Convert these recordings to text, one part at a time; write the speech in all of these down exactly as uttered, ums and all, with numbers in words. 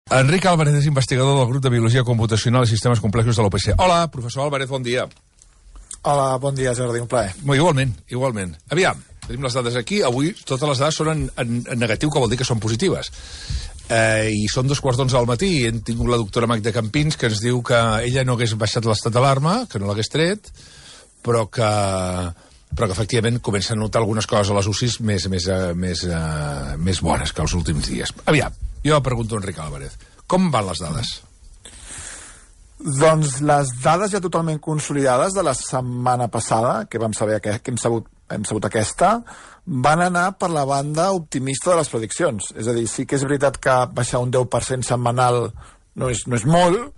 Enric Álvarez és investigador del grup de Biologia Computacional i Sistemes Complexos de l'U P C. Hola, professor Álvarez, bon dia. Hola, bon dia, Jordi, un plaer. Molt igualment, igualment. Aviam, tenim les dades aquí. Avui totes les dades són en, en, en negatiu, que vol dir que són positives. Eh, I són dos quarts d'onze del matí i hem tingut la doctora Magda Campins, que ens diu que ella no hagués baixat l'estat d'alarma, que no l'hagués tret, però que... però que efectivament comença a notar algunes coses a les U C Is més, més, més, uh, més bones que els últims dies. Aviam, jo pregunto a Enric Álvarez, com van les dades? Doncs les dades ja totalment consolidades de la setmana passada, que vam saber que, que hem, sabut, hem sabut aquesta, van anar per la banda optimista de les prediccions. És a dir, sí que és veritat que baixar un deu per cent setmanal no és, no és molt,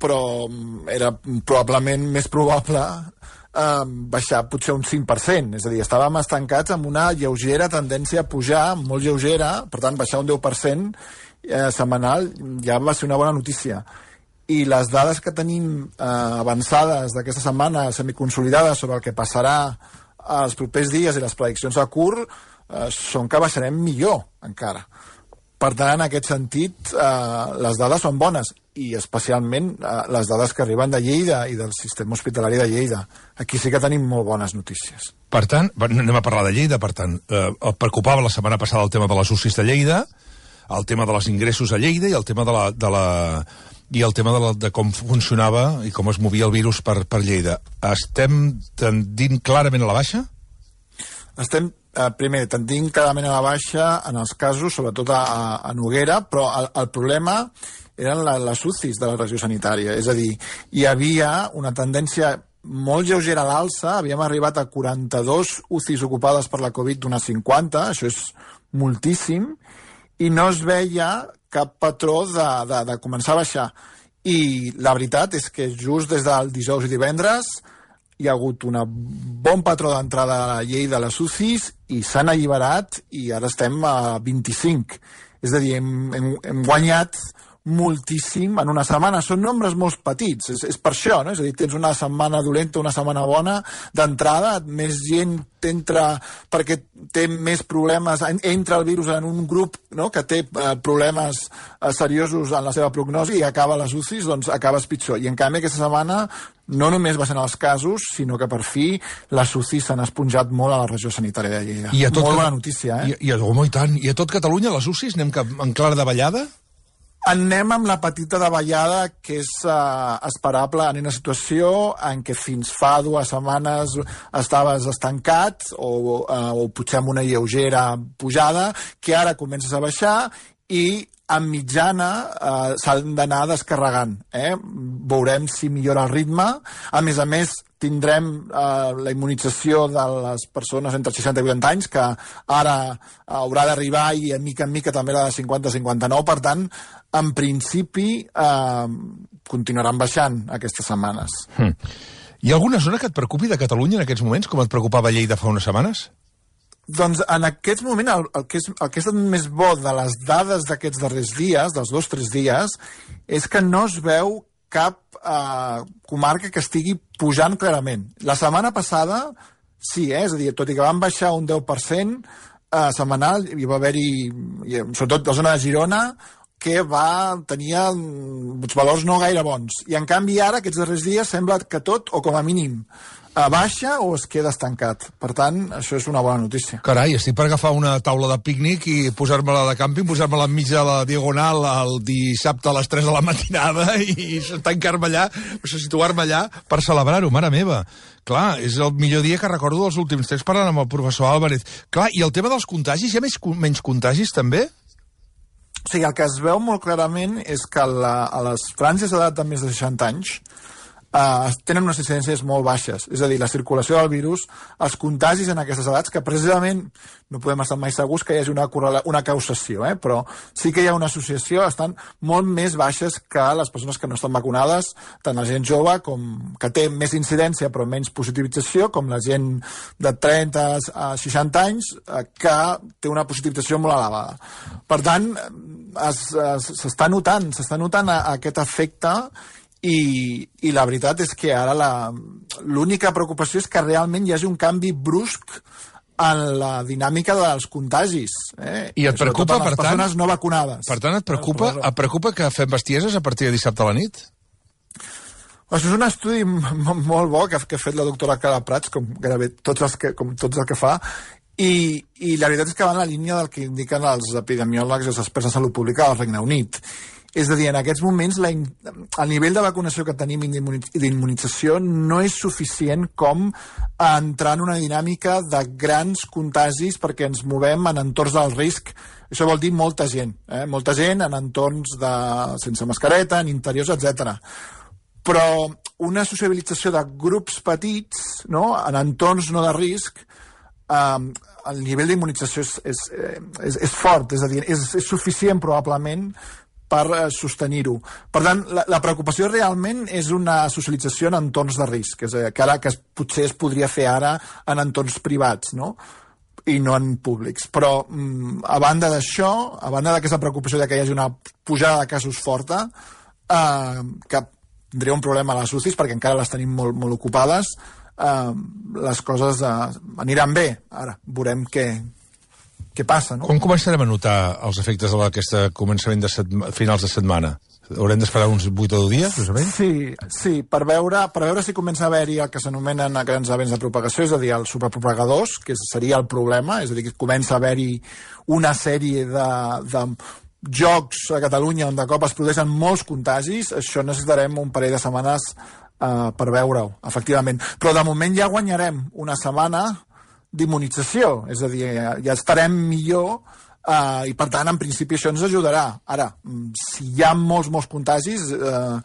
però era probablement més probable eh, baixar potser un cinc per cent. És a dir, estàvem estancats amb una lleugera tendència a pujar, molt lleugera, per tant, baixar un deu per cent eh, setmanal ja va ser una bona notícia. I les dades que tenim eh, avançades d'aquesta setmana, semiconsolidades sobre el que passarà els propers dies i les prediccions a curt, eh, són que baixarem millor encara. Per tant, en aquest sentit, eh, les dades són bones, i especialment eh, les dades que arriben de Lleida i del sistema hospitalari de Lleida. Aquí sí que tenim molt bones notícies. Per tant, anem a parlar de Lleida, per tant, eh, el preocupava la setmana passada el tema de les U C Is de Lleida, el tema de les ingressos a Lleida i el tema de la... De la i el tema de, la, de com funcionava i com es movia el virus per, per Lleida. Estem tendint clarament a la baixa? Estem, eh, primer, tendint clarament a la baixa en els casos, sobretot a, a Noguera, però el, el problema eren la, les U C Is de la regió sanitària. És a dir, hi havia una tendència molt lleugera a l'alça, havíem arribat a quaranta-dos U C Is ocupades per la Covid d'unes cinquanta, això és moltíssim, i no es veia cap patró de, de, de començar a baixar. I la veritat és que just des del dijous i divendres hi ha hagut un bon patró d'entrada a la llei de les U C Is i s'han alliberat i ara estem a vint-i-cinc. És a dir, hem, hem, hem guanyat moltíssim en una setmana. Són nombres molt petits, és, és per això, no? És a dir, tens una setmana dolenta, una setmana bona d'entrada, més gent entra perquè té més problemes, entra el virus en un grup, no?, que té eh, problemes eh, seriosos en la seva prognosi i acaba les U C Is, doncs acabes pitjor. I en canvi aquesta setmana no només baixen els casos, sinó que per fi les U C Is s'han esponjat molt a la regió sanitària de Lleida. I a tot molt Cat... bona notícia, eh? I, i, oh, i tant. I a tot Catalunya les U C Is anem cap en clara davallada? Anem amb la petita davallada que és uh, esperable en una situació en què fins fa dues setmanes estaves estancat o, uh, o potser amb una lleugera pujada, que ara comences a baixar i en mitjana uh, s'han d'anar descarregant. Eh? Veurem si millora el ritme. A més a més, tindrem eh, la immunització de les persones entre seixanta i vuitanta anys, que ara haurà d'arribar, i en mica en mica també la de cinquanta a cinquanta-nou. Per tant, en principi, eh, continuaran baixant aquestes setmanes. Hmm. Hi ha alguna zona que et preocupi de Catalunya en aquests moments, com et preocupava Lleida fa unes setmanes? Doncs en aquest moment el, el, que és, el que és més bo de les dades d'aquests darrers dies, dels dos o tres dies, és que no es veu cap eh, comarca que estigui pujant clarament. La setmana passada, sí, eh? És a dir, tot i que van baixar un deu per cent eh, setmanal, hi va haver-hi, sobretot la zona de Girona, que va tenir uns valors no gaire bons. I en canvi ara, aquests darrers dies, sembla que tot, o com a mínim, a baixa o es queda estancat. Per tant, això és una bona notícia. Carai, estic per agafar una taula de pícnic i posar-me-la de càmping, posar-me-la enmig de la diagonal el dissabte a les tres de la matinada i tancar-me allà, situar-me allà per celebrar-ho, mare meva. Clar, és el millor dia que recordo dels últims temps parlant amb el professor Álvarez. Clar, i el tema dels contagis, hi ha més, menys contagis també? O sigui, el que es veu molt clarament és que la, a les franges d'edat de més de seixanta anys Uh, tenen unes incidències molt baixes, és a dir, la circulació del virus, els contagis en aquestes edats, que precisament no podem estar mai segurs que hi hagi una, una causació, eh? Però sí que hi ha una associació, estan molt més baixes que les persones que no estan vacunades, tant la gent jove, com que té més incidència però menys positivització, com la gent de trenta a seixanta anys, uh, que té una positivització molt elevada. Per tant, s'està notant, s'està notant a, a aquest efecte. I, i la veritat és que ara l'única preocupació és que realment hi hagi un canvi brusc en la dinàmica dels contagis. Eh? I et preocupa, per tant... les persones no vacunades. Per tant, et preocupa, et preocupa que fem bestieses a partir de dissabte a la nit? Això és un estudi molt bo que ha fet la doctora Clara Prats, com gairebé tots els que, com tots el que fa, i, i la veritat és que va en la línia del que indiquen els epidemiòlegs i els experts de salut pública del Regne Unit. És a dir, en aquests moments la, el nivell de vacunació que tenim i d'immunització no és suficient com entrar en una dinàmica de grans contagis perquè ens movem en entorns del risc. Això vol dir molta gent, eh? molta gent en entorns de, sense mascareta, en interiors, etcètera. Però una sociabilització de grups petits, no? En entorns no de risc, eh, el nivell d'immunització és, és, és, és fort, és a dir, és, és suficient probablement per eh, sostenir-ho. Per tant, la, la preocupació realment és una socialització en entorns de risc, és a dir, que ara que es, potser es podria fer ara en entorns privats, no? I no en públics. Però, mm, a banda d'això, a banda d'aquesta preocupació de que hi hagi una pujada de casos forta, eh, que tindria un problema a les U C Is perquè encara les tenim molt, molt ocupades, eh, les coses eh, aniran bé. Ara, veurem què, què passa, no? Quan començarem a notar els efectes d'aquest començament de setma, finals de setmana? Haurem d'esperar uns vuit o deu dies, més o menys? Sí, sí, per veure, per veure si comença a haver-hi el que s'anomenen grans events de propagació, és a dir, els superpropagadors, que seria el problema, és a dir, que comença a haver-hi una sèrie de, de jocs a Catalunya on de cop es produeixen molts contagis. Això necessitarem un parell de setmanes uh, per veure-ho, efectivament. Però de moment ja guanyarem una setmana d'immunització, és a dir, ja, ja estarem millor uh, i per tant en principi això ens ajudarà. Ara, si hi ha molts, molts contagis, uh,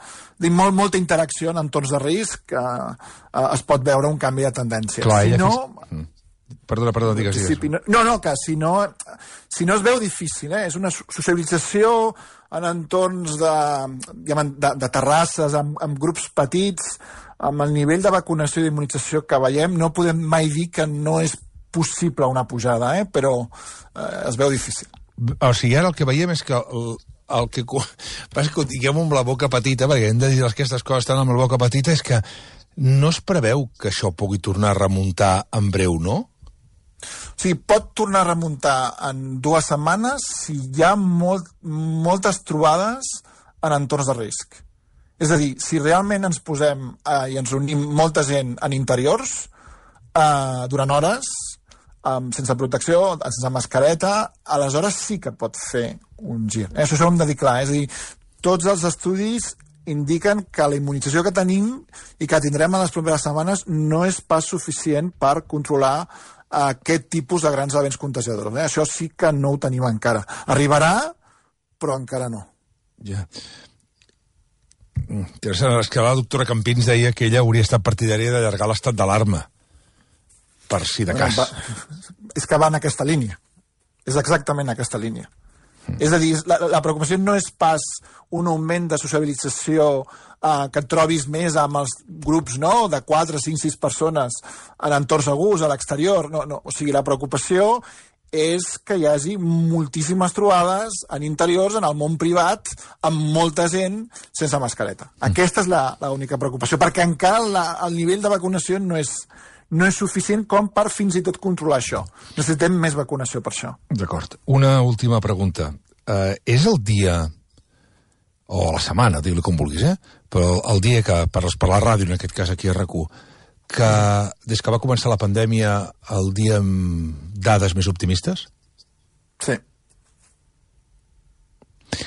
molt, molta interacció en entorns de risc, uh, uh, es pot veure un canvi de tendència. Clar, si ja no... Fes... Perdona, perdona, digues, digues. No, no, que si no, si no es veu difícil, eh? És una socialització en entorns de, de, de terrasses, amb, amb grups petits, amb el nivell de vacunació i d'immunització que veiem, no podem mai dir que no és possible una pujada, eh? Però eh, es veu difícil. O sigui, ara el que veiem és que el, el que passa que ho diguem amb la boca petita, perquè hem de dir aquestes coses tan amb la boca petita, és que no es preveu que això pugui tornar a remuntar en breu, no? O sigui, pot tornar a remuntar en dues setmanes si hi ha molt, moltes trobades en entorns de risc. És a dir, si realment ens posem eh, i ens unim molta gent en interiors eh, durant hores, eh, sense protecció, sense mascareta, aleshores sí que pot fer un gir. Eh? Això s'ho hem de dir clar, és a dir, tots els estudis indiquen que la immunització que tenim i que tindrem en les properes setmanes no és pas suficient per controlar aquest tipus de grans events contagiadors. Eh? Això sí que no ho tenim encara. Arribarà, però encara no. Ja. Interessant, és que la doctora Campins deia que ella hauria estat partidària d'allargar l'estat d'alarma, per si de cas. Va, és que va en aquesta línia. És exactament aquesta línia. Mm. És a dir, la, la preocupació no és pas un augment de sociabilització eh, que et trobis més amb els grups, no?, de quatre, cinc, sis persones en entorns segurs, a l'exterior. No, no. O sigui, la preocupació és que hi hagi moltíssimes trobades en interiors, en el món privat, amb molta gent sense mascareta. Mm. Aquesta és l'única preocupació, perquè encara la, el nivell de vacunació no és, no és suficient com per fins i tot controlar això. Necessitem més vacunació per això. D'acord. Una última pregunta. Uh, és el dia, o la setmana, digue-li com vulguis, eh? Però el dia que, per, per la ràdio, en aquest cas aquí a RAC u, que des que va començar la pandèmia, el dia amb dades més optimistes? Sí.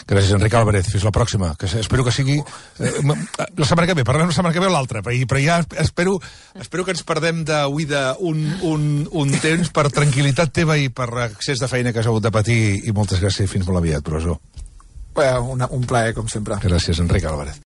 Gràcies, Enric Álvarez. Fins la pròxima. Que espero que sigui... Eh, la setmana que ve, parlem la setmana que ve o l'altra, però, però ja espero, espero que ens perdem d'avui un, un, un temps per tranquil·litat teva i per accés de feina que has hagut de patir, i moltes gràcies i fins molt aviat, professor. Un, un plaer, com sempre. Gràcies, Enric Álvarez.